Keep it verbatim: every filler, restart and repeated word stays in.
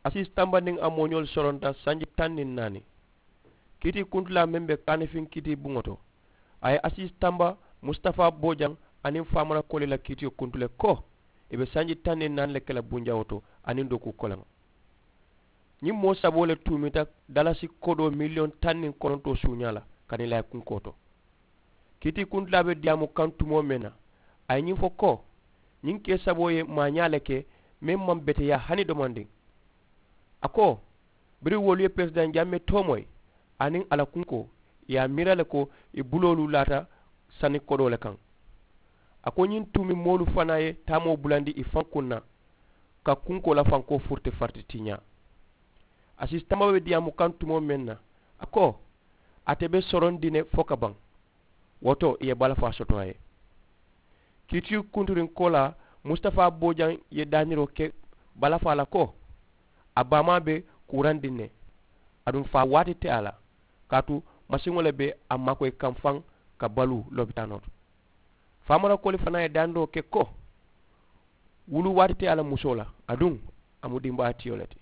Asiisi tanba niŋ a mooñoolu soronta sanji taŋ niŋ naani. Kiitii kuntulaa meŋ be kaanifiŋ kiitii buŋo to, a ye asiisi tanba musitafaa boojaŋ aniŋ faamara koli la kiitiyo kuntu le ko, i be sanji taŋ niŋ naani le ke la bunjawoo to aniŋ dookuu koleŋo. Ñiŋ moo saboo le tuumita dalasi kodoo miliyoŋ taŋ niŋ konontoo suuñaa la kaniŋ i la kunkoo to. Kiitii kuntulaa be diyaamu kaŋ tumoo meŋ na, a ye ñiŋ fo ko, ñiŋ kee saboo ye maañaa le ke meŋ maŋ beteyaa hani domandiŋ. A ko, biriŋ wolu ye peresidaŋ jammee toomoyi aniŋ a la kunkoo, i ye a miira le ko i buloolu laata sani kodoo le kaŋ. A ko ñiŋ tuumi moolu fanaa ye taamoo bulandi i faŋ kuŋ na, ka kunkoo la fankoo furiti fariti tiñaa. Asiisi tanba be diyaamu kaŋ tumoo meŋ na, a ko, ate be sorondi ne fo ka baŋ. Wo to i ye balafaa soto a ye. Kiitiyu kunturiŋ koolaa, musitafaa boojaŋ ye daaniroo ke balafaa la ko, a baamaa be kuurandiŋ ne, aduŋ faa waati te a la, kaatu masiŋo le be a maakoyi kaŋ faŋ ka baluu lopitaanoo to. Faamara koli fanaa ye daaniroo ke ko, wulu waati te a la musoo la, aduŋ a mu dimbaatiyo le ti.